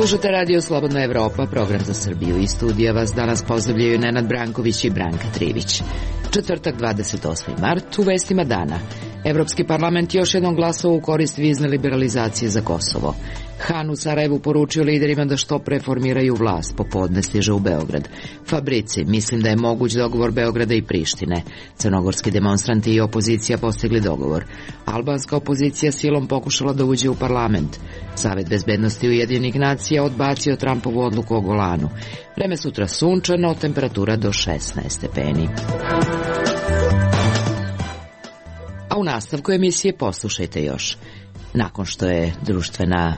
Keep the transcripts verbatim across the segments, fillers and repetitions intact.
Slušate Radio Slobodna Evropa, program za Srbiju. Iz studija vas danas pozdravljaju Nenad Branković i Branka Trivić. Četvrtak, dvadeset osmi mart, u vestima dana. Evropski parlament još jednom glasao u korist vizne liberalizacije za Kosovo. Han u Sarajevu poručio liderima da što pre formiraju vlast, popodne stiže u Beograd. Fabrici, mislim da je moguć dogovor Beograda i Prištine. Crnogorski demonstranti i opozicija postigli dogovor. Albanska opozicija silom pokušala da uđe u parlament. Savet bezbednosti Ujedinjenih nacija odbacio Trumpovu odluku o Golanu. Vreme sutra sunčano, temperatura do šesnaest stepeni. A u nastavku emisije poslušajte još. Nakon što je društvena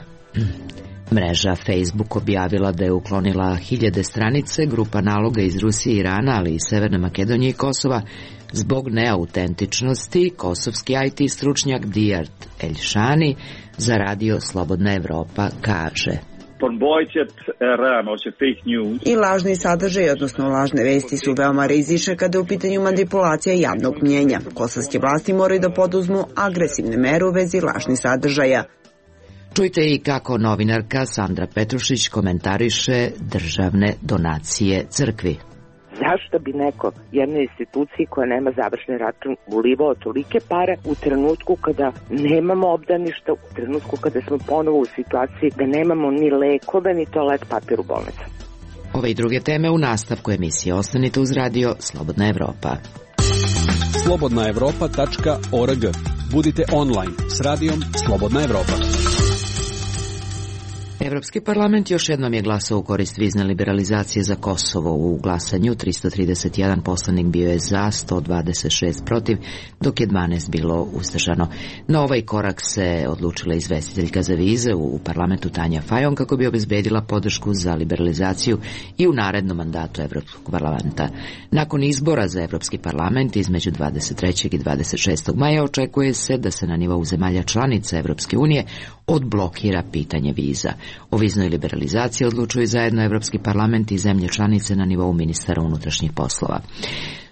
mreža Facebook objavila da je uklonila hiljade stranice, grupa naloga iz Rusije, Irana, ali i Severne Makedonije i Kosova, zbog neautentičnosti, kosovski I T stručnjak Dijart Elšani za Radio Slobodna Evropa kaže: I lažni sadržaj, odnosno lažne vesti, su veoma rizične kada je u pitanju manipulacija javnog mnjenja. Kosovske vlasti moraju da poduzmu agresivne mere u vezi lažnih sadržaja. Čujte i kako novinarka Sandra Petrušić komentariše državne donacije crkvi. Zašto bi neko jednoj instituciji koja nema završni račun ulivao tolike pare u trenutku kada nemamo obdaništa, u trenutku kada smo ponovo u situaciji da nemamo ni lekove ni toalet papir u bolnicu? Ove i druge teme u nastavku emisije. Ostanite uz Radio Slobodna Evropa. slobodna evropa tačka org. Budite online s Radijom Slobodna Evropa. Evropski parlament još jednom je glasao u korist vizne liberalizacije za Kosovo. U glasanju tristo trideset jedan poslanik bio je za, sto dvadeset šest protiv, dok je dvanaest bilo uzdržano. Na ovaj korak se odlučila izvestiteljka za vize u parlamentu Tanja Fajon kako bi obezbedila podršku za liberalizaciju i u narednom mandatu Evropskog parlamenta. Nakon izbora za Evropski parlament između dvadeset trećeg i dvadeset šestog maja očekuje se da se na nivou zemalja članica Evropske unije odblokira pitanje viza. O viznoj liberalizaciji odlučuju zajedno Evropski parlament i zemlje članice na nivou ministara unutrašnjih poslova.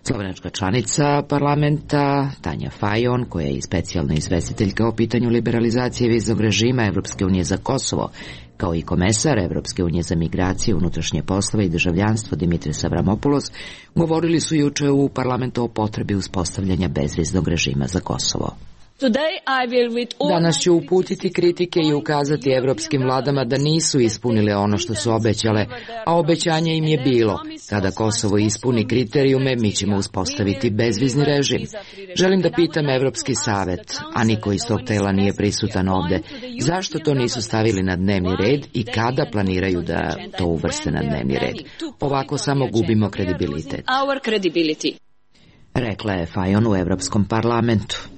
Slovenačka članica parlamenta Tanja Fajon, koja je i specijalna izvestiteljka o pitanju liberalizacije viznog režima Evropske unije za Kosovo, kao i komesar Evropske unije za migracije, unutrašnje poslove i državljanstvo Dimitris Avramopoulos, govorili su juče u parlamentu o potrebi uspostavljanja bezviznog režima za Kosovo. Danas ću uputiti kritike i ukazati evropskim vladama da nisu ispunile ono što su obećale, a obećanje im je bilo: kada Kosovo ispuni kriterijume, mi ćemo uspostaviti bezvizni režim. Želim da pitam Evropski savet, a niko iz tog tela nije prisutan ovde, zašto to nisu stavili na dnevni red i kada planiraju da to uvrste na dnevni red. Ovako samo gubimo kredibilitet. Rekla je Fajon u Evropskom parlamentu.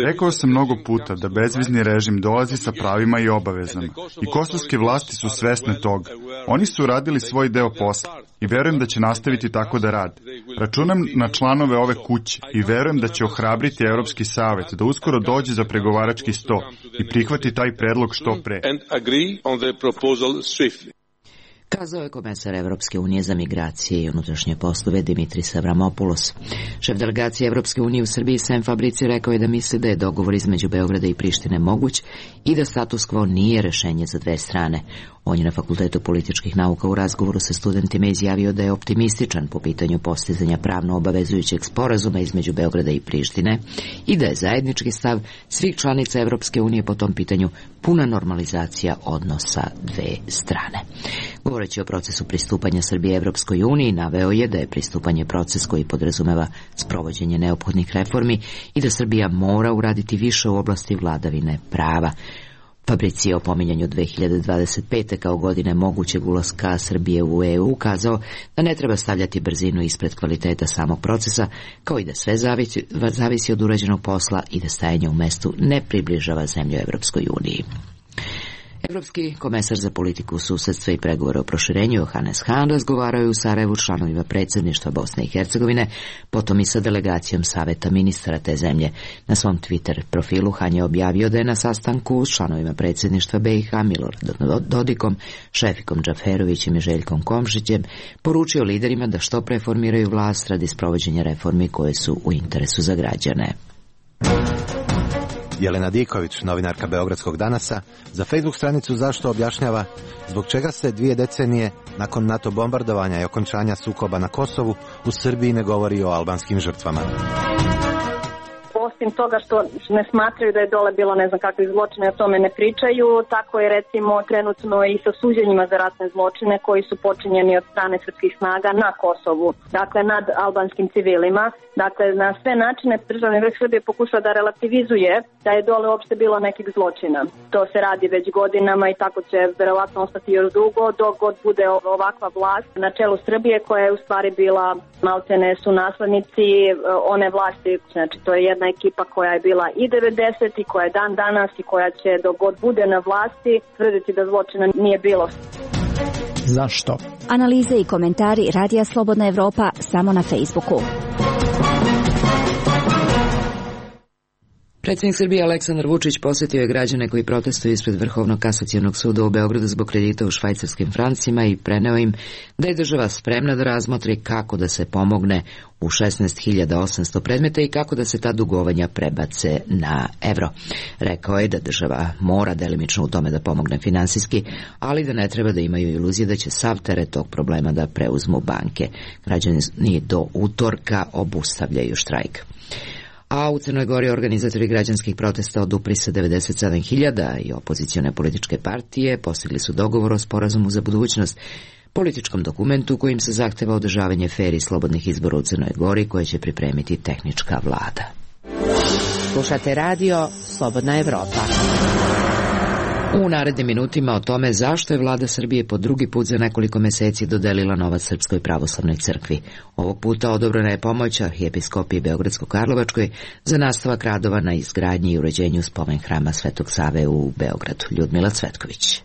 Rekao sam mnogo puta da bezvizni režim dolazi sa pravima i obavezama i kosovske vlasti su svesne toga. Oni su uradili svoj deo posla i verujem da će nastaviti tako da rade. Računam na članove ove kuće i verujem da će ohrabriti Evropski savet da uskoro dođe za pregovarački sto i prihvati taj predlog što pre. Kazao je komesar Evropske unije za migracije i unutrašnje poslove Dimitris Avramopoulos. Šef delegacije Evropske unije u Srbiji Sem Fabrici rekao je da misli da je dogovor između Beograda i Prištine moguć i da status quo nije rešenje za dve strane. On je na Fakultetu političkih nauka u razgovoru sa studentima izjavio da je optimističan po pitanju postizanja pravno obavezujućeg sporazuma između Beograda i Prištine i da je zajednički stav svih članica Evropske unije po tom pitanju puna normalizacija odnosa dve strane. Govoreći o procesu pristupanja Srbije Evropskoj uniji, naveo je da je pristupanje proces koji podrazumeva sprovođenje neophodnih reformi i da Srbija mora uraditi više u oblasti vladavine prava. Fabrici je o pominjanju dve hiljade dvadeset pete kao godine mogućeg ulaska Srbije u E U ukazao da ne treba stavljati brzinu ispred kvaliteta samog procesa, kao i da sve zavisi, zavisi od urađenog posla i da stajanje u mestu ne približava zemlju Evropskoj uniji. Evropski komesar za politiku susedstva i pregovore o proširenju Johannes Hahn razgovarao je u Sarajevu s članovima predsjedništva Bosne i Hercegovine, potom i sa delegacijom saveta ministara te zemlje. Na svom Twitter profilu Hahn je objavio da je na sastanku s članovima predsjedništva B i H Miloradom Dodikom, Šefikom Džaferovićem i Željkom Komšićem poručio liderima da što pre formiraju vlast radi sprovođenja reformi koje su u interesu za građane. Jelena Diković, novinarka Beogradskog danasa, za Facebook stranicu Zašto objašnjava zbog čega se dvije decenije nakon NATO bombardovanja i okončanja sukoba na Kosovu u Srbiji ne govori o albanskim žrtvama. Osim toga što ne smatraju da je dole bilo ne znam kakvih zločina, o tome ne pričaju, tako je recimo trenutno i sa suđenjima za ratne zločine koji su počinjeni od strane srpskih snaga na Kosovu, dakle nad albanskim civilima. Dakle, na sve načine državni vrh Srbije pokušava da relativizuje da je dole uopšte bilo nekih zločina. To se radi već godinama i tako će verovatno ostati još dugo dok god bude ovakva vlast na čelu Srbije koja je u stvari bila maltene su naslednici one vlasti. Znači, to je jedna ekipa koja je bila i devedeset i koja je dan danas i koja će dok god bude na vlasti tvrditi da zločina nije bilo. Zašto? Analize i komentari Radija Slobodna Evropa samo na Facebooku. Predsjednik Srbije Aleksandar Vučić posjetio je građane koji protestuju ispred Vrhovnog kasacionog suda u Beogradu zbog kredita u švajcarskim francima i preneo im da je država spremna da razmotri kako da se pomogne u šesnaest hiljada osamsto predmeta i kako da se ta dugovanja prebace na evro. Rekao je da država mora delimično u tome da pomogne finansijski, ali da ne treba da imaju iluzije da će sav teret tog problema da preuzmu banke. Građani do utorka obustavljaju štrajk. A u Crnoj Gori organizatori građanskih protesta odupri se devedeset sedam hiljada i opozicione političke partije postigli su dogovor o sporazumu za budućnost, političkom dokumentu kojim se zahteva održavanje fer i slobodnih izbora u Crnoj Gori koje će pripremiti tehnička vlada. Slušate radio Slobodna Evropa. U narednim minutima o tome zašto je vlada Srbije po drugi put za nekoliko meseci dodelila novac Srpskoj pravoslavnoj crkvi. Ovog puta odobrena je pomoć arhijepiskopiji Beogradsko-Karlovačkoj za nastavak radova na izgradnji i uređenju spomen hrama Svetog Save u Beogradu. Ljudmila Cvetković.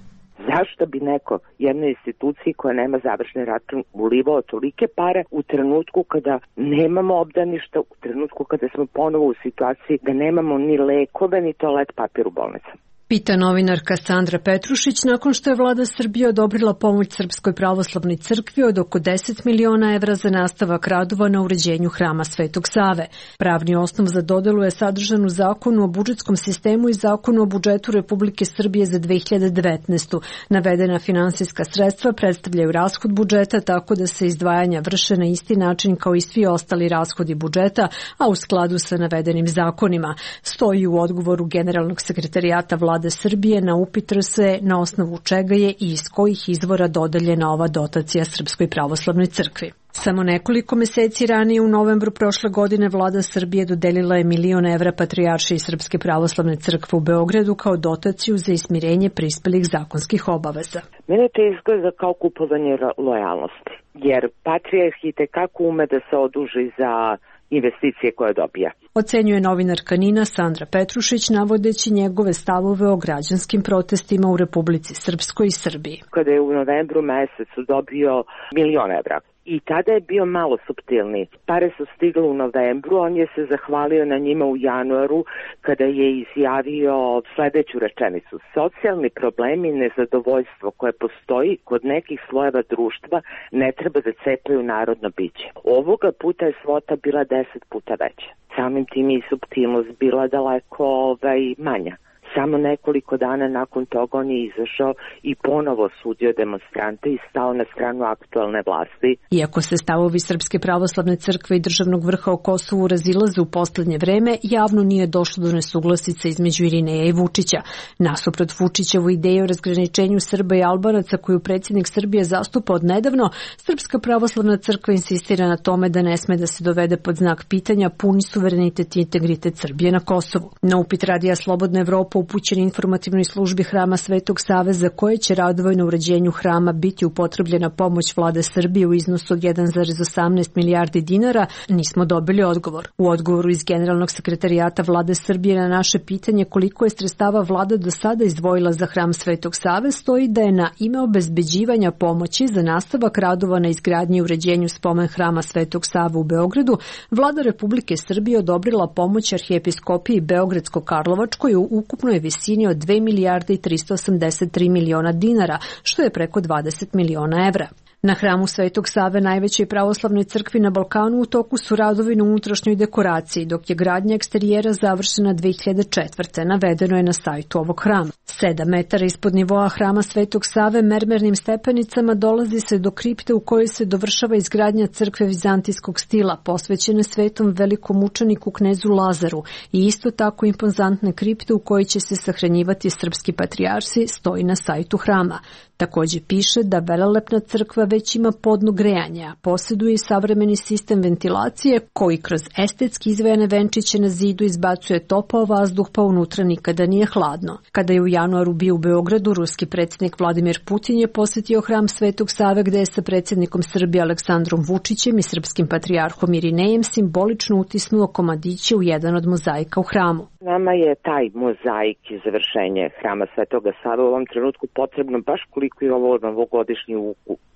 Zašto bi neko jednoj instituciji koja nema završni račun ulivao tolike pare u trenutku kada nemamo obdaništa, u trenutku kada smo ponovo u situaciji da nemamo ni lekove ni toalet papir u bolnicama? Pita novinarka Sandra Petrušić nakon što je vlada Srbije odobrila pomoć Srpskoj pravoslavnoj crkvi od oko deset miliona evra za nastavak radova na uređenju hrama Svetog Save. Pravni osnov za dodelu je sadržan u Zakonu o budžetskom sistemu i Zakonu o budžetu Republike Srbije za dve hiljade devetnaestu. Navedena finansijska sredstva predstavljaju rashod budžeta tako da se izdvajanja vrše na isti način kao i svi ostali rashodi budžeta, a u skladu sa navedenim zakonima. Stoji u odgovoru Generalnog sekretarijata vlade Vlade Srbije na upit R S E na osnovu čega je i iz kojih izvora dodeljena ova dotacija Srpskoj pravoslavnoj crkvi. Samo nekoliko meseci ranije u novembru prošle godine vlada Srbije dodelila je milion evra Patrijaršiji Srpske pravoslavne crkve u Beogradu kao dotaciju za ismirenje prispelih zakonskih obaveza. Mene to izgleda kao kupovanje lojalnosti, jer Patrijarh i tekako ume da se oduži za investicije koje dobija. Ocenjuje novinarka Nina Sandra Petrušić navodeći njegove stavove o građanskim protestima u Republici Srpskoj i Srbiji. Kada je u novembru mesecu dobio milion evra i tada je bio malo suptilni. Pare su stigle u novembru, on je se zahvalio na njima u januaru kada je izjavio sledeću rečenicu. Socijalni problemi i nezadovoljstvo koje postoji kod nekih slojeva društva ne treba da cepaju narodno biće. Ovoga puta je svota bila deset puta veća. Samim tim i suptilnost bila daleko ovaj, manja. Samo nekoliko dana nakon toga on je izašao i ponovo sudio demonstrante i stao na stranu aktualne vlasti. Iako se stavovi Srpske pravoslavne crkve i državnog vrha o Kosovu razilaze u poslednje vreme, javno nije došlo do nesuglasica između Irineja i Vučića. Nasuprot Vučićevu ideju o razgraničenju Srba i Albanaca koju predsjednik Srbije zastupa od nedavno, Srpska pravoslavna crkva insistira na tome da ne sme da se dovede pod znak pitanja puni suverenitet i integritet Srbije na Kosovu. Na upit Radija Slobodna Evropa upućen informativnoj službi hrama Svetog Save za koje će radovi na uređenju hrama biti upotrebljena pomoć vlade Srbije u iznosu od jedan zarez osamnaest milijardi dinara, nismo dobili odgovor. U odgovoru iz Generalnog sekretarijata vlade Srbije na naše pitanje koliko je sredstava vlada do sada izdvojila za hram Svetog Save stoji da je na ime obezbeđivanja pomoći za nastavak radova na izgradnji i uređenju spomen hrama Svetog Save u Beogradu, vlada Republike Srbije odobrila pomoć arhijepiskopiji Beogradsko-Karlovačkoj u ukupnoj visini od dve milijarde i tristo osamdeset tri miliona dinara, što je preko dvadeset miliona evra. Na hramu Svetog Save, najvećoj pravoslavnoj crkvi na Balkanu, u toku su radovi na unutrašnjoj dekoraciji, dok je gradnja eksterijera završena dve hiljade četvrte. Navedeno je na sajtu ovog hrama. Sedam metara ispod nivoa hrama Svetog Save mermernim stepenicama dolazi se do kripte u kojoj se dovršava izgradnja crkve vizantijskog stila, posvećene svetom velikom mučeniku knezu Lazaru, i isto tako impozantne kripte u kojoj će se sahranjivati srpski patrijarsi, stoji na sajtu hrama. Takođe piše da velelepna crkva već ima podno grejanja, posjeduje i savremeni sistem ventilacije koji kroz estetski izvejane venčiće na zidu izbacuje topao vazduh, pa unutra nikada nije hladno. Kada je u januaru bio u Beogradu, ruski predsjednik Vladimir Putin je posjetio hram Svetog Save, gde je sa predsjednikom Srbije Aleksandrom Vučićem i srpskim patrijarhom Irinejem simbolično utisnuo komadiće u jedan od mozaika u hramu. Nama je taj mozaik i završenje hrama Svetoga Save u ovom trenutku potrebno baš koliko i ovo novogodišnji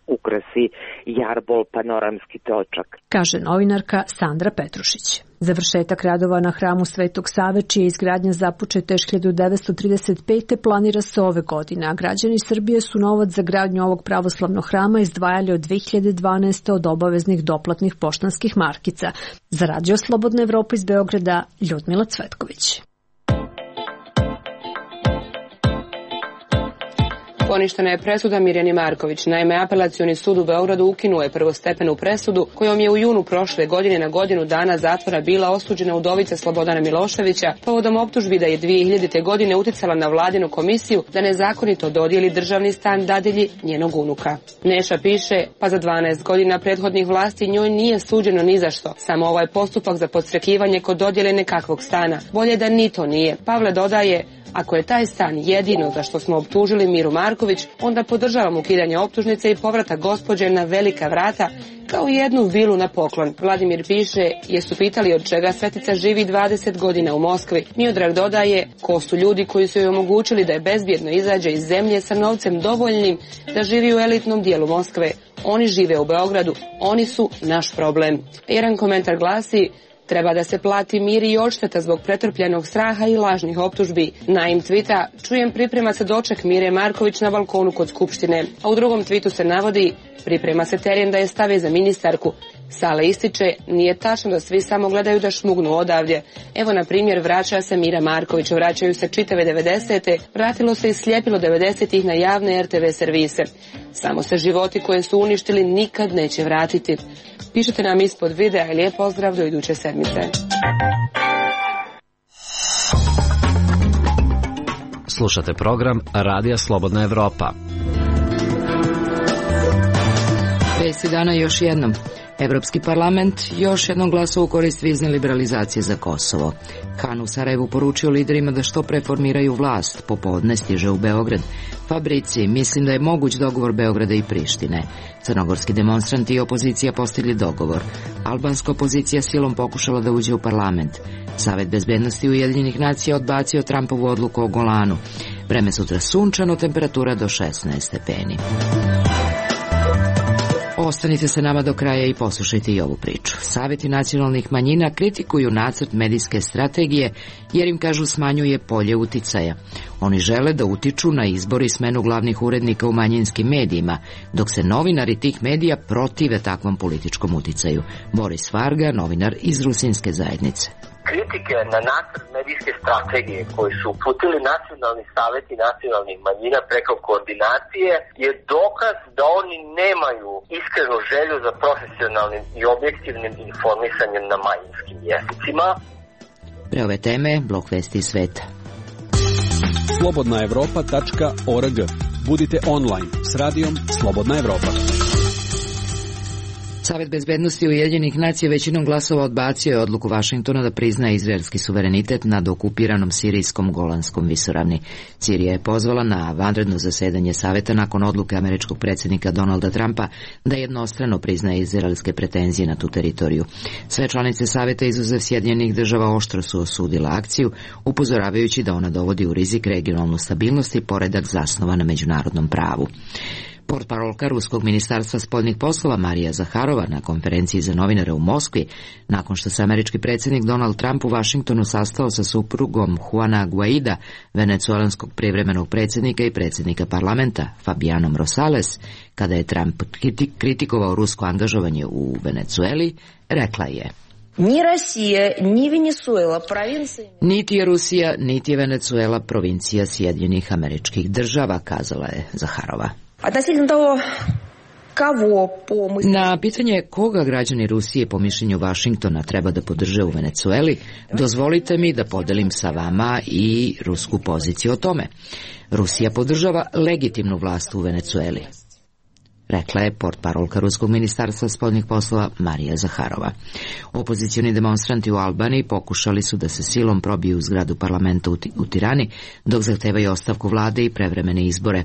ukrasi, jarbol, panoramski točak, kaže novinarka Sandra Petrušić. Završetak radova na hramu Svetog Save, čija izgradnja započeta još hiljadu devetsto trideset pete. planira se ove godine, a građani Srbije su novac za gradnju ovog pravoslavnog hrama izdvajali od dve hiljade dvanaeste. od obaveznih doplatnih poštanskih markica. Za Radio Slobodna Evropa iz Beograda, Ljudmila Cvetković. Poništena je presuda Mirjani Marković. Naime, Apelacioni sud u Beogradu ukinuo je prvostepenu presudu kojom je u junu prošle godine na godinu dana zatvora bila osuđena udovica Slobodana Miloševića povodom optužbi da je dve hiljadite. godine uticala na vladinu komisiju da nezakonito dodijeli državni stan dadilji njenog unuka. Neša piše, pa za dvanaest godina prethodnih vlasti njoj nije suđeno ni za što. Samo ovaj postupak za podstrekivanje kod dodjele nekakvog stana. Bolje da ni to nije. Pavle dodaje, ako je taj stan jedino za što smo optužili Miru Marković, onda podržavam ukidanje optužnice i povratak gospođe na velika vrata kao jednu vilu na poklon. Vladimir piše, jesu pitali od čega Svetica živi dvadeset godina u Moskvi. Miodrag dodaje, ko su ljudi koji su joj omogućili da je bezbjedno izađe iz zemlje sa novcem dovoljnim da živi u elitnom dijelu Moskve. Oni žive u Beogradu, oni su naš problem. Jedan komentar glasi, treba da se plati mir i odšteta zbog pretrpljenog straha i lažnih optužbi. Naim tvita, čujem priprema se doček Mire Marković na balkonu kod Skupštine, a u drugom tvitu se navodi, priprema se teren da je stave za ministarku. Sale ističe, nije tačno da svi samo gledaju da šmugnu odavdje. Evo na primjer, vraća se Mira Marković, vraćaju se čitave devedesete, vratilo se i slijepilo devedesetih na javne er te ve servise. Samo se životi koje su uništili nikad neće vratiti. Pišite nam ispod videa i lijep pozdrav do iduće sedmice. Slušate program Radija Slobodna Evropa. Vesti dana još jednom. Evropski parlament još jednom glasao u korist vizne liberalizacije za Kosovo. Han u Sarajevu poručio liderima da što pre formiraju vlast. Popodne stiže u Beograd. Fabrici, mislim da je moguć dogovor Beograda i Prištine. Crnogorski demonstranti i opozicija postigli dogovor. Albanska opozicija silom pokušala da uđe u parlament. Savet bezbednosti Ujedinjenih nacija odbacio Trumpovu odluku o Golanu. Vreme sutra sunčano, temperatura do šesnaest stepeni. Ostanite sa nama do kraja i poslušajte i ovu priču. Saveti nacionalnih manjina kritikuju nacrt medijske strategije jer im, kažu, smanjuje polje uticaja. Oni žele da utiču na izbor i smenu glavnih urednika u manjinskim medijima, dok se novinari tih medija protive takvom političkom uticaju. Boris Varga, novinar iz Rusinske zajednice. Kritike na nacrt medijske strategije koji su uputili nacionalni saveti nacionalnih manjina preko koordinacije je dokaz da oni nemaju iskrenu želju za profesionalnim i objektivnim informisanjem na manjinskim jezicima. Pre ove teme, blok vesti iz sveta. slobodna evropa tačka org. Budite online s radijom Slobodna Evropa. Savet bezbednosti Ujedinjenih nacija većinom glasova odbacio je odluku Vašingtona da prizna izraelski suverenitet nad okupiranom sirijskom Golanskom visoravni. Sirija je pozvala na vanredno zasedanje Saveta nakon odluke američkog predsjednika Donalda Trumpa da jednostrano priznaje izraelske pretenzije na tu teritoriju. Sve članice Saveta izuzev Sjedinjenih država oštro su osudila akciju, upozoravajući da ona dovodi u rizik regionalnu stabilnost i poredak zasnovan na međunarodnom pravu. Portparolka Ruskog ministarstva spoljnih poslova Marija Zaharova na konferenciji za novinare u Moskvi, nakon što se američki predsjednik Donald Trump u Vašingtonu sastao sa suprugom Juana Guaida, venecuelanskog privremenog predsjednika i predsjednika parlamenta Fabianom Rosales, kada je Trump kritikovao rusko angažovanje u Venecueli, rekla je: Ni Rusija, ni Venezuela, provincija... Niti je Rusija, niti je Venecuela provincija Sjedinjenih Američkih Država, kazala je Zaharova. Na pitanje koga građani Rusije po mišljenju Vašingtona treba da podrže u Venecueli, dozvolite mi da podelim sa vama i rusku poziciju o tome. Rusija podržava legitimnu vlast u Venecueli, rekla je portparolka Ruskog ministarstva spoljnih poslova Marija Zaharova. Opozicioni demonstranti u Albaniji pokušali su da se silom probiju u zgradu parlamenta u Tirani, dok zahtevaju ostavku vlade i prevremene izbore.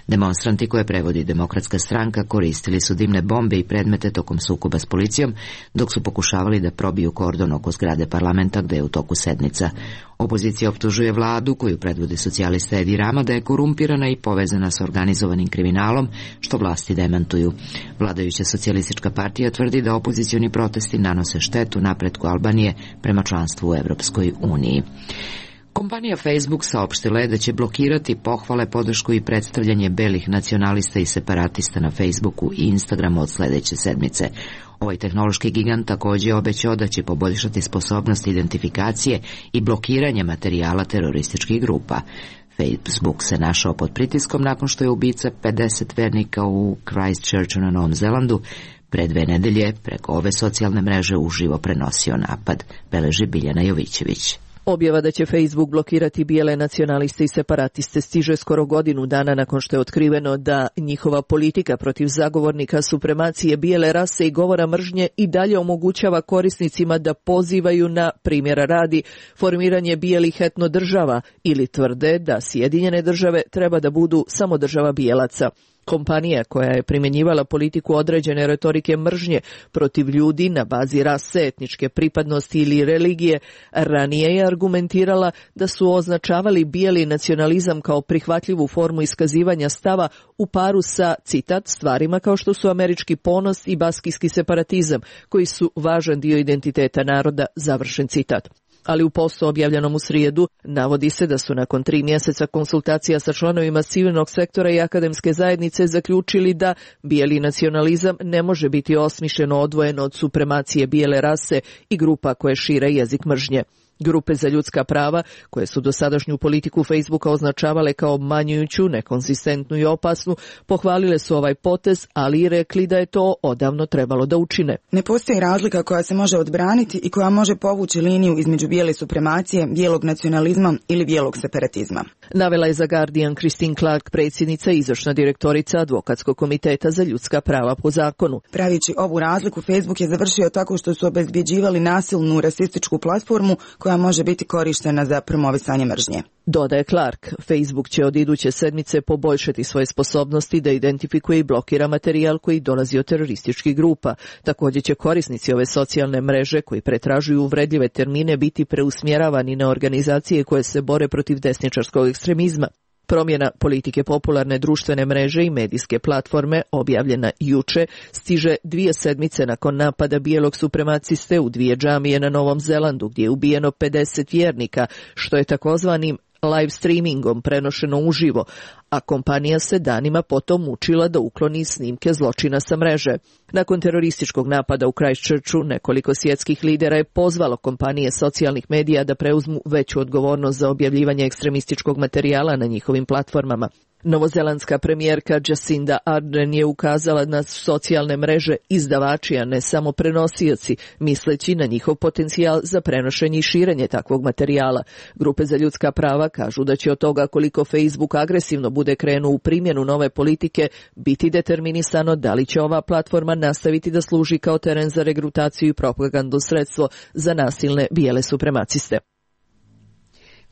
Demonstranti koje prevodi Demokratska stranka koristili su dimne bombe i predmete tokom sukoba s policijom, dok su pokušavali da probiju kordon oko zgrade parlamenta gde je u toku sednica. Opozicija optužuje vladu, koju predvodi socijalista Edi Rama, da je korumpirana i povezana s organizovanim kriminalom, što vlasti demantuju. Vladajuća socijalistička partija tvrdi da opozicioni protesti nanose štetu napretku Albanije prema članstvu u Evropskoj uniji. Kompanija Facebook saopštila je da će blokirati pohvale, podršku i predstavljanje belih nacionalista i separatista na Facebooku i Instagramu od sledeće sedmice. Ovaj tehnološki gigant također je obećao da će poboljšati sposobnost identifikacije i blokiranja materijala terorističkih grupa. Facebook se našao pod pritiskom nakon što je ubica pedeset vernika u Christchurchu na Novom Zelandu pre dve nedelje preko ove socijalne mreže uživo prenosio napad, beleži Biljana Jovićević. Objava da će Facebook blokirati bijele nacionaliste i separatiste stiže skoro godinu dana nakon što je otkriveno da njihova politika protiv zagovornika supremacije bijele rase i govora mržnje i dalje omogućava korisnicima da pozivaju na, primjera radi, formiranje bijelih etno država ili tvrde da Sjedinjene države treba da budu samo država bijelaca. Kompanija koja je primjenjivala politiku određene retorike mržnje protiv ljudi na bazi rase, etničke pripadnosti ili religije, ranije je argumentirala da su označavali bijeli nacionalizam kao prihvatljivu formu iskazivanja stava u paru sa, citat, stvarima kao što su američki ponos i baskijski separatizam, koji su važan dio identiteta naroda, završen citat. Ali u postu objavljenom u srijedu navodi se da su nakon tri mjeseca konsultacija sa članovima civilnog sektora i akademske zajednice zaključili da bijeli nacionalizam ne može biti osmišljeno odvojeno od supremacije bijele rase i grupa koje šire jezik mržnje. Grupe za ljudska prava, koje su dosadašnju politiku Facebooka označavale kao obmanjujuću, nekonsistentnu i opasnu, pohvalile su ovaj potez, ali i rekli da je to odavno trebalo da učine. Ne postoji razlika koja se može odbraniti i koja može povući liniju između bijele supremacije, bijelog nacionalizma ili bijelog separatizma. Navela je za Guardian Christine Clark, predsjednica i izvršna direktorica Advokatskog komiteta za ljudska prava po zakonu. Pravići ovu razliku, Facebook je završio tako što su obezbjeđivali nasilnu rasističku platformu koja može biti korištena za promovisanje mržnje. Dodaje Clark, Facebook će od iduće sedmice poboljšati svoje sposobnosti da identifikuje i blokira materijal koji dolazi od terorističkih grupa. Također će korisnici ove socijalne mreže koji pretražuju uvredljive termine biti preusmjeravani na organizacije koje se bore protiv desničarskog ekstremizma. Promjena politike popularne društvene mreže i medijske platforme, objavljena juče, stiže dvije sedmice nakon napada bijelog supremaciste u dvije džamije na Novom Zelandu, gdje je ubijeno pedeset vjernika, što je takozvanim live streamingom prenošeno uživo, a kompanija se danima potom mučila da ukloni snimke zločina sa mreže. Nakon terorističkog napada u Christchurchu, nekoliko svjetskih lidera je pozvalo kompanije socijalnih medija da preuzmu veću odgovornost za objavljivanje ekstremističkog materijala na njihovim platformama. Novozelandska premijerka Jacinda Ardern je ukazala na socijalne mreže izdavači, a ne samo prenosioci, misleći na njihov potencijal za prenošenje i širenje takvog materijala. Grupe za ljudska prava kažu da će od toga koliko Facebook agresivno bude krenuo u primjenu nove politike biti determinisano da li će ova platforma nastaviti da služi kao teren za regrutaciju i propagandno sredstvo za nasilne bijele supremaciste.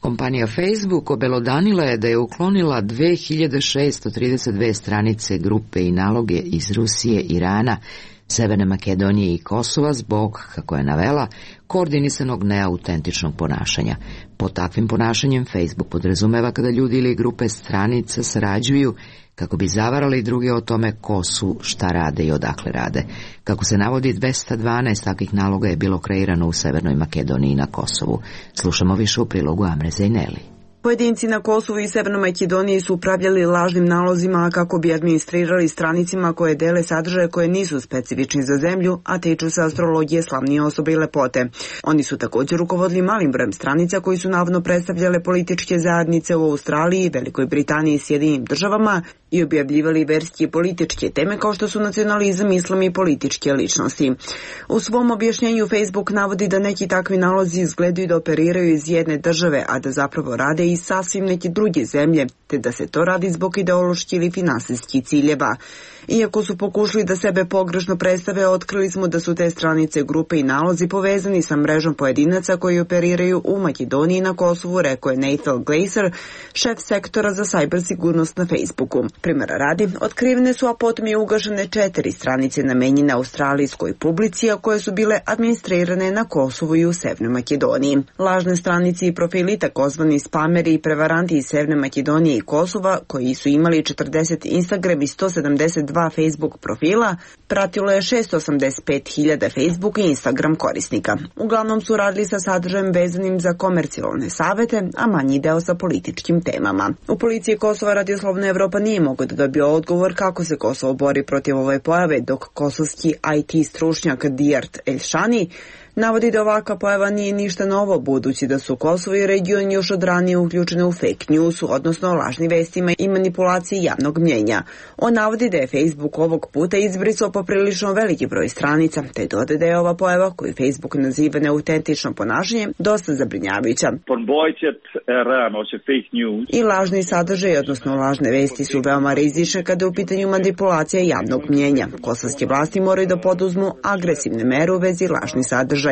Kompanija Facebook obelodanila je da je uklonila dve hiljade šesto trideset dve stranice grupe i naloge iz Rusije, Irana, Severne Makedonije i Kosova zbog, kako je navela, koordinisanog neautentičnog ponašanja. Pod takvim ponašanjem Facebook podrazumeva kada ljudi ili grupe stranica sarađuju kako bi zavarali druge o tome ko su, šta rade i odakle rade. Kako se navodi, dvesta dvanaest takvih naloga je bilo kreirano u Severnoj Makedoniji i na Kosovu. Slušamo više u prilogu Amre Zejneli. Pojedinci na Kosovu i Severnoj Makedoniji su upravljali lažnim nalozima kako bi administrirali stranicima koje dele sadržaje koje nisu specifični za zemlju, a tiču se astrologije, slavnije osobe i lepote. Oni su također rukovodili malim brojem stranica koji su navodno predstavljale političke zajednice u Australiji, Velikoj Britaniji i Sjedinim državama i objavljivali verske i političke teme kao što su nacionalizam, islam i političke ličnosti. U svom objašnjenju Facebook navodi da neki takvi nalozi izgledaju da operiraju iz jedne države, a da zapravo rade i sasvim neke druge zemlje, te da se to radi zbog ideoloških ili finansijskih ciljeva. Iako su pokušali da sebe pogrešno predstave, otkrili smo da su te stranice, grupe i nalozi povezani sa mrežom pojedinaca koji operiraju u Makedoniji i na Kosovu, rekao je Nathan Glaser, šef sektora za sajber sigurnost na Facebooku. Primjera radi, otkrivene su, a potom je ugašene četiri stranice namenjene australijskoj publici, a koje su bile administrirane na Kosovu i u Severnoj Makedoniji. Lažne stranice i profili, takozvani spameri i prevaranti iz Severne Makedonije i Kosova, koji su imali četrdeset Instagram i sto sedamdeset dva Facebook profila, pratilo je šesto osamdeset pet hiljada Facebook i Instagram korisnika. Uglavnom su radili sa sadržajem vezanim za komercijalne savete, a manji deo sa političkim temama. U policiji Kosova Radio Slobodna Evropa nije mogao da dobije odgovor kako se Kosovo bori protiv ove pojave, dok kosovski I T stručnjak Dijart Elšani navodi da ovakva pojava nije ništa novo, budući da su Kosovo i region još od ranije uključene u fake news, odnosno lažni vestima i manipulaciji javnog mnjenja. On navodi da je Facebook ovog puta izbrisao poprilično veliki broj stranica, te dodaje da je ova pojava, koju Facebook naziva neautentično ponašanje, dosta zabrinjavajuća. I lažni sadržaj, odnosno lažne vesti, su veoma rizične kada je u pitanju manipulacija javnog mnjenja. Kosovske vlasti moraju da poduzmu agresivne mere u vezi lažnih sadržaja.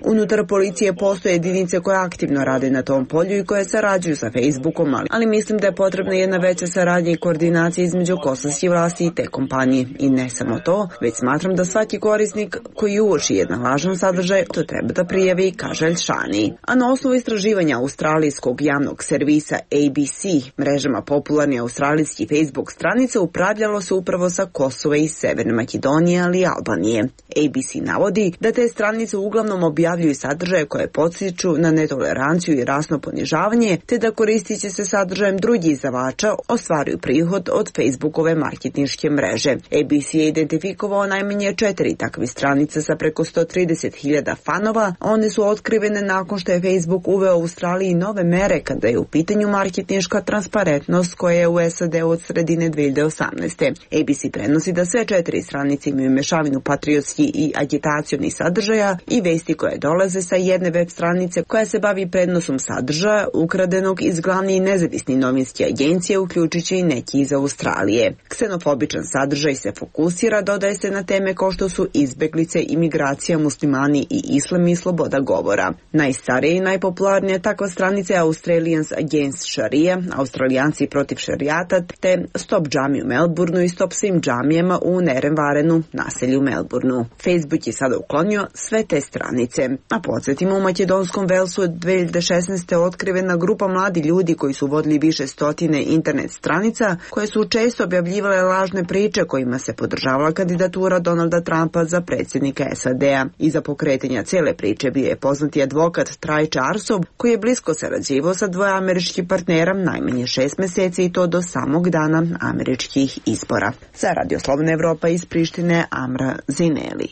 Unutar policije postoje jedinice koje aktivno rade na tom polju i koje sarađuju sa Facebookom, ali mislim da je potrebna jedna veća saradnja i koordinacija između kosovskih vlasti i te kompanije. I ne samo to, već smatram da svaki korisnik koji uoči jedan lažan sadržaj to treba da prijavi, kaže Elšani. A na osnovu istraživanja australijskog javnog servisa A B C, mrežama popularni australijski Facebook stranice upravljalo se upravo sa Kosova i Severne Makedonije, ali i Albanije. A B C navodi da te stranice uglavnom objavljuju sadržaje koje podsjeću na netoleranciju i rasno ponižavanje, te da koristići se sadržajem drugih izdavača ostvaruju prihod od Facebookove marketinške mreže. A B C je identifikovao najmanje četiri takve stranice sa preko sto trideset hiljada fanova. One su otkrivene nakon što je Facebook uveo u Australiji nove mere kada je u pitanju marketinška transparentnost koja je u S A D od sredine dve hiljade osamnaeste. A B C prenosi da sve četiri stranice imaju mešavinu patriotski i agitacijonih sadržaja i vesti koje dolaze sa jedne web stranice koja se bavi prenosom sadržaja ukradenog iz glavne i nezavisne novinske agencije, uključujući i neki iz Australije. Ksenofobičan sadržaj se fokusira, dodaje se na teme kao što su izbeglice, imigracija, muslimani i islam i sloboda govora. Najstarija i najpopularnija takva stranica je Australians Against Sharia, Australijanci protiv šarijata, te Stop džami u Melbourneu i Stop svim džamijama u Nerenvarenu, naselju Melbourneu. Facebook je sada uklonio sve te stranice. A podsjetimo, u makedonskom Velsu od dve hiljade šesnaeste. otkrivena grupa mladi ljudi koji su vodili više stotine internet stranica koje su često objavljivale lažne priče kojima se podržavala kandidatura Donalda Trumpa za predsjednika S A D-a. Iza pokretanja cele priče bio je poznati advokat Trajče Arsov koji je blisko sarađivao sa dvoje američkih partnera najmanje šest meseci i to do samog dana američkih izbora. Za Radio Slobodna Evropa iz Prištine, Amra Zineli.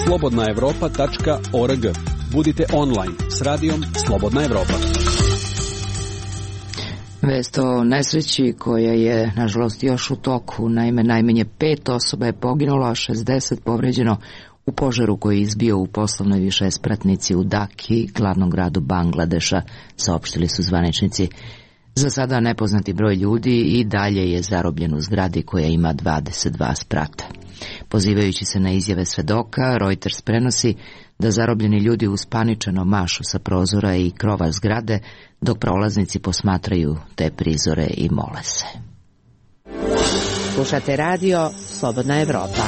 slobodna evropa tačka org. Budite online s radijom Slobodna Evropa. Vest o nesreći koja je, nažalost, još u toku. Naime, najmanje pet osoba je poginulo, a šezdeset povređeno u požaru koji je izbio u poslovnoj višespratnici u Daki, glavnom gradu Bangladeša, saopštili su zvaničnici. Za sada nepoznati broj ljudi i dalje je zarobljen u zgradi koja ima dvadeset dva sprata. Pozivajući se na izjave svedoka, Reuters prenosi da zarobljeni ljudi uspaničeno mašu sa prozora i krova zgrade, dok prolaznici posmatraju te prizore i mole se. Slušate radio Slobodna Evropa.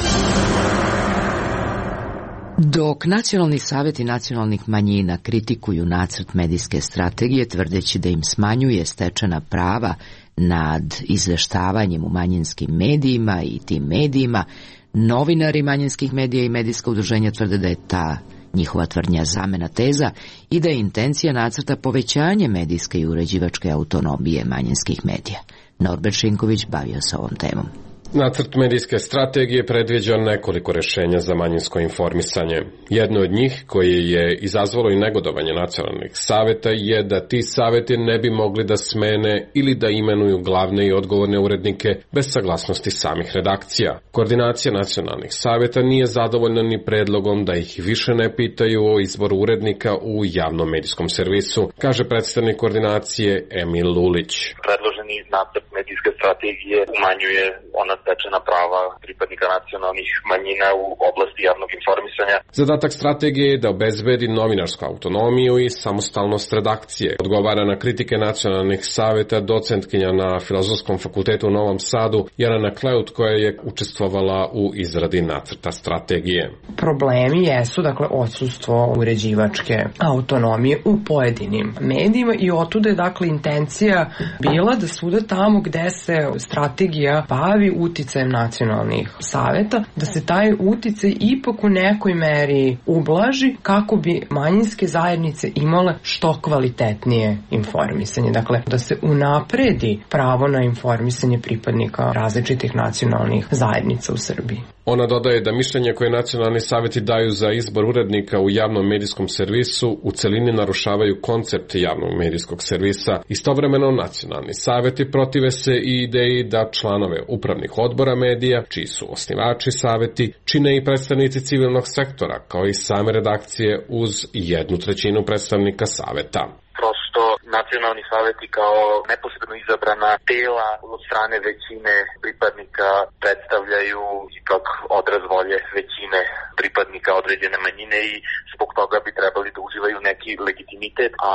Dok nacionalni saveti nacionalnih manjina kritikuju nacrt medijske strategije tvrdeći da im smanjuje stečena prava nad izveštavanjem u manjinskim medijima i tim medijima, novinari manjinskih medija i medijska udruženja tvrde da je ta njihova tvrdnja zamena teza i da je intencija nacrta povećanje medijske i uređivačke autonomije manjinskih medija. Norbert Šinković bavio se ovom temom. Nacrt medijske strategije predviđa nekoliko rešenja za manjinsko informisanje. Jedno od njih, koje je izazvalo i negodovanje nacionalnih saveta, je da ti saveti ne bi mogli da smene ili da imenuju glavne i odgovorne urednike bez saglasnosti samih redakcija. Koordinacija nacionalnih saveta nije zadovoljna ni predlogom da ih više ne pitaju o izboru urednika u javnom medijskom servisu, kaže predstavnik koordinacije Emil Lulić. Predloženi nacrt medijske strategije umanjuje ona stečena prava pripadnika nacionalnih manjina u oblasti javnog informisanja. Zadatak strategije je da obezbedi novinarsku autonomiju i samostalnost redakcije. Odgovara na kritike nacionalnih saveta docentkinja na Filozofskom fakultetu u Novom Sadu Jelena Kleut, koja je učestvovala u izradi nacrta strategije. Problemi jesu, dakle, odsustvo uređivačke autonomije u pojedinim medijima i otuda je, dakle, intencija bila da svuda tamo gde se strategija bavi uticajem nacionalnih saveta, da se taj uticaj ipak u nekoj meri ublaži kako bi manjinske zajednice imale što kvalitetnije informisanje. Dakle, da se unapredi pravo na informisanje pripadnika različitih nacionalnih zajednica u Srbiji. Ona dodaje da mišljenje koje nacionalni saveti daju za izbor urednika u javnom medijskom servisu u celini narušavaju koncept javnog medijskog servisa. Istovremeno nacionalni saveti protive se i ideji da članove upravnih odbora medija, čiji su osnivači saveti, čine i predstavnici civilnog sektora, kao i same redakcije uz jednu trećinu predstavnika saveta. Prosto nacionalni saveti kao neposredno izabrana tela od strane većine pripadnika predstavljaju ipak odraz volje većine pripadnika određene manjine i zbog toga bi trebali da uživaju neki legitimitet, a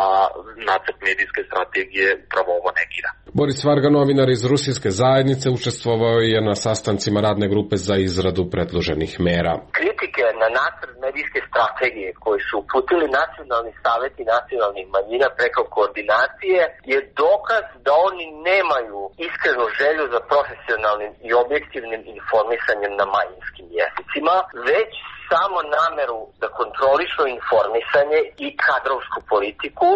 nacrt medijske strategije upravo ovo negira. Boris Varga, novinar iz Rusijske zajednice, učestvovao je na sastancima radne grupe za izradu predloženih mera. Kritike na nacrt medijske strategije koje su uputili nacionalni saveti nacionalnih manjina preko koordinacije je dokaz da oni nemaju iskrenu želju za profesionalnim i objektivnim informisanjem na manjinskim jezicima, već samo nameru da kontrolišu informisanje i kadrovsku politiku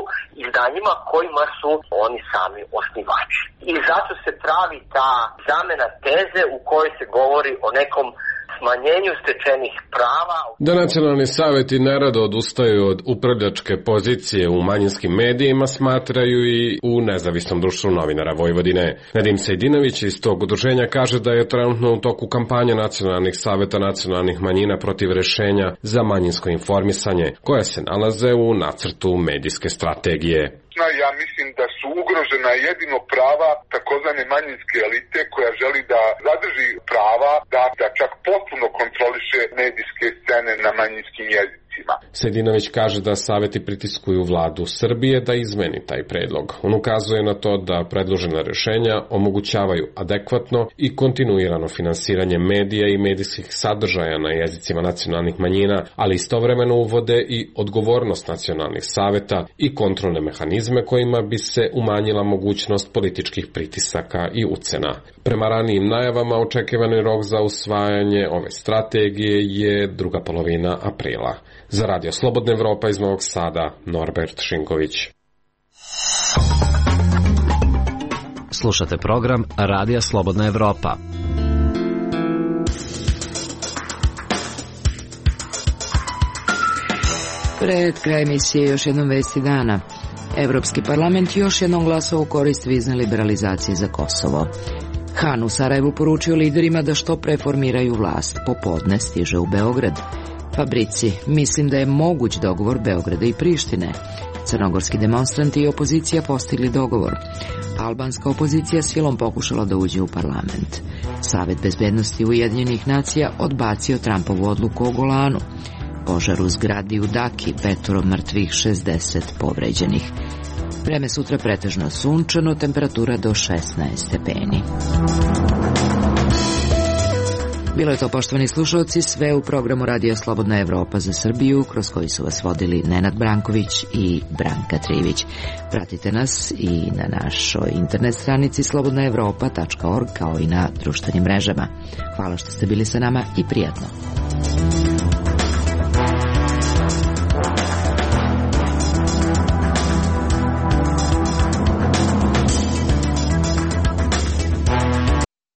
izdanjima kojima su oni sami osnivači. I zato se pravi ta zamena teze u kojoj se govori o nekom smanjenju stečenih prava. Da nacionalni saveti nerado odustaju od upravljačke pozicije u manjinskim medijima, smatraju i u Nezavisnom društvu novinara Vojvodine. Nedim Sejdinović iz tog udruženja kaže da je trenutno u toku kampanja nacionalnih saveta nacionalnih manjina protiv rešenja za manjinsko informisanje, koja se nalaze u nacrtu medijske strategije. Ja mislim da su ugrožena jedino prava takozvane manjinske elite koja želi da zadrži prava da, da čak potpuno kontroliše medijske scene na manjinskim jezicima. Sedinović kaže da saveti pritiskuju vladu Srbije da izmeni taj predlog. On ukazuje na to da predložena rešenja omogućavaju adekvatno i kontinuirano finansiranje medija i medijskih sadržaja na jezicima nacionalnih manjina, ali istovremeno uvode i odgovornost nacionalnih saveta i kontrolne mehanizme kojima bi se umanjila mogućnost političkih pritisaka i ucena. Prema ranijim najavama, očekivani rok za usvajanje ove strategije je druga polovina aprila. Za Radio Slobodna Evropa iz Novog Sada, Norbert Šinković. Slušate program Radija Slobodna Evropa. Pred kraj emisije još jednom vesti dana. Evropski parlament još jednom glasao u korist vizne liberalizacije za Kosovo. Han u Sarajevu poručio liderima da što preformiraju vlast. Popodne stiže u Beograd. Fabrici, mislim da je moguć dogovor Beograda i Prištine. Crnogorski demonstranti i opozicija postigli dogovor. Albanska opozicija silom pokušala da uđe u parlament. Savet bezbednosti Ujedinjenih nacija odbacio Trumpovu odluku o Golanu. Požar u zgradi u Daki, petoro mrtvih, šezdeset povređenih. Vreme sutra pretežno sunčano, temperatura do šesnaest stepeni. Bilo je to, poštovani slušalci, sve u programu Radio Slobodna Evropa za Srbiju, kroz koji su vas vodili Nenad Branković i Branka Trivić. Pratite nas i na našoj internet stranici slobodna evropa tačka org kao i na društvenim mrežama. Hvala što ste bili sa nama i prijatno.